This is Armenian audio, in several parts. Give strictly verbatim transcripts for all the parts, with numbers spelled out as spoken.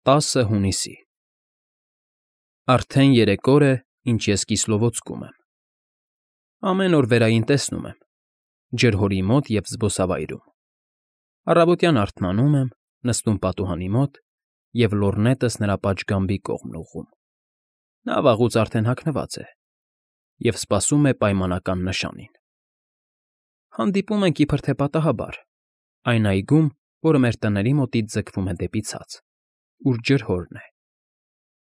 տասը հունիսի Արդեն երեք օր է, ինչ ես Կիսլովոդսկում եմ։ Ամեն օր վերային տեսնում եմ, ջրհորի մոտ և զբոսավայրում։ Առավոտյան արթնանում եմ, նստում պատուհանի մոտ և լոռնետս նրա պատշգամբի կողմն ուղղում։ Նա վաղուց արդեն հագնված է և սպասում է պայմանական նշանին։ Հանդիպում ենք իբրև թե պատահաբար, այն այգում, որը մեր տների մոտից ձգվում է դեպի ցած, ուր ջրհորն է։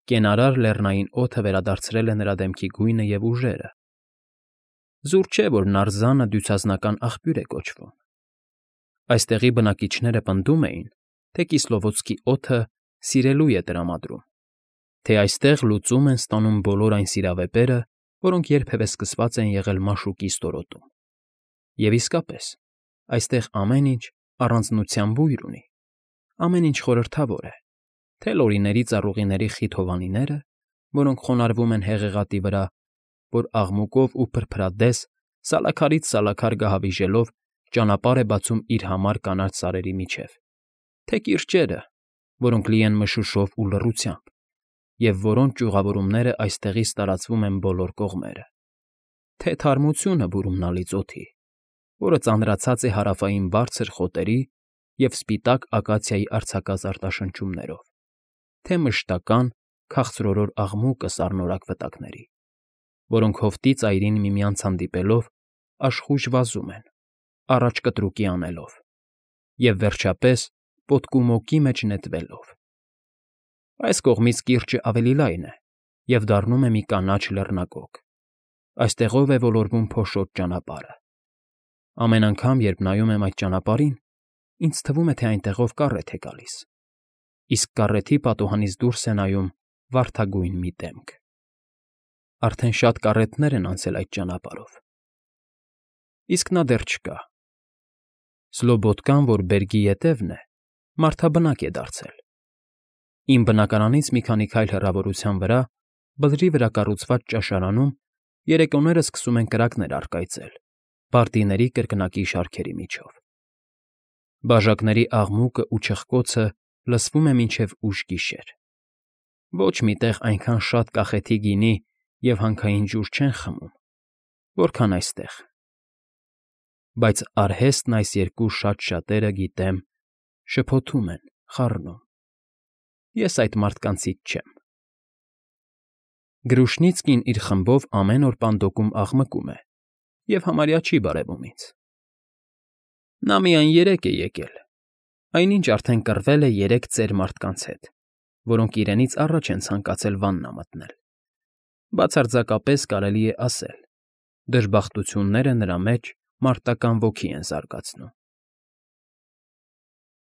Կենարար լեռնային օդը վերադարձրել է նրա դեմքի գույնը և ուժերը։ Զուր չէ, որ նարզանը դյուցազնական աղբյուր է կոչվում։ Այստեղի բնակիչները պնդում էին, թե Կիսլովոդսկի օդը սիրելույթ է տրամադրում, թե այստեղ լուծում են ստանում բոլոր այն սիրավեպերը, որոնք երբևէ սկսված են եղել Մաշուկի ստորոտում։ Եվ իսկապես, այստեղ ամեն ինչ առանձնության բույր ունի, ամեն ինչ խորհրդավոր է, թե լորիների ծառուղիների խիտ հովանիները, որոնք խոնարհվում են հեղեղատի վրա, որ աղմուկով ու փրփրադես, սալաքարից սալաքար գահավիժելով, ճանապարհ է բացում իր համար կանաչ սարերի միջև, թե կիրճերը, որոնք լի են մշուշով ու լռությամբ, և որոնց ճյուղավորումները այստեղից տարածվում են բոլոր կողմերը, թե թարմությունը բուրումնալից օդի, որը ծանրացած է հարավային բարձր խոտերի և սպիտակ ակացիայի արձակած արտաշնչումներով, թե մշտական, քաղցրորոր աղմուկը սառնորակ վտակների, որոնք հովտի ծայրին միմյանց հանդիպելով աշխույժ վազում են, առաջ կտրուկի անելով, և, վերջապես, պոտկումոկի մեջ նետվելով։ Այս կողմից կիրճը ավելի լայն է և դառնում է մի կանաչ լեռնագոգ, այստեղով է ոլորվում փոշոտ ճանապարհը։ Ամեն անգամ, երբ նայում եմ այդ ճանապարհին, ինձ թվում է, թե այնտեղով կառետ է գալիս, իսկ կառեթի պատուհանից դուրս է նայում վարդագույն մի դեմք։ Արդեն շատ կառետներ են անցել այդ ճանապարհով, իսկ նա դեռ չկա։ Սլոբոդկան, որ բերրի ետևն է, մարդաբնակ է դարձել։ Իմ բնակարանից մի քանի քայլ հեռավորության վրա, բլրի վրա կառուցված ճաշարանում, երեկոները սկսում են կրակներ առկայծել բարդիների կրկնակի շարքերի միջով։ Բաժակների աղմուկն ու չխկոցը լսվում է մինչև ուշ գիշեր։ Ոչ մի տեղ այնքան շատ կախեթի գինի և հանքային ջուր չեն խմում, որքան այստեղ։ Բայց արհեստն այս երկու շատ շատերը, գիտեմ, շփոթում են, խառնում։ Ես այդ մարդկանցից չեմ։ Գրուշնիցկին իր խմբով ամեն օր պանդոկում աղմկում է և համարյա չի բարևում ինձ։ Նա միայն երեկ է եկել, այնինչ արդեն կռվել է երեք ծեր մարդկանց հետ, որոնք իրենից առաջ են ցանկացել վաննա մտնել։ Բացարձակապես կարելի է ասել, դժբախտությունները նրա մեջ մարտական ոգի են զարգացնում։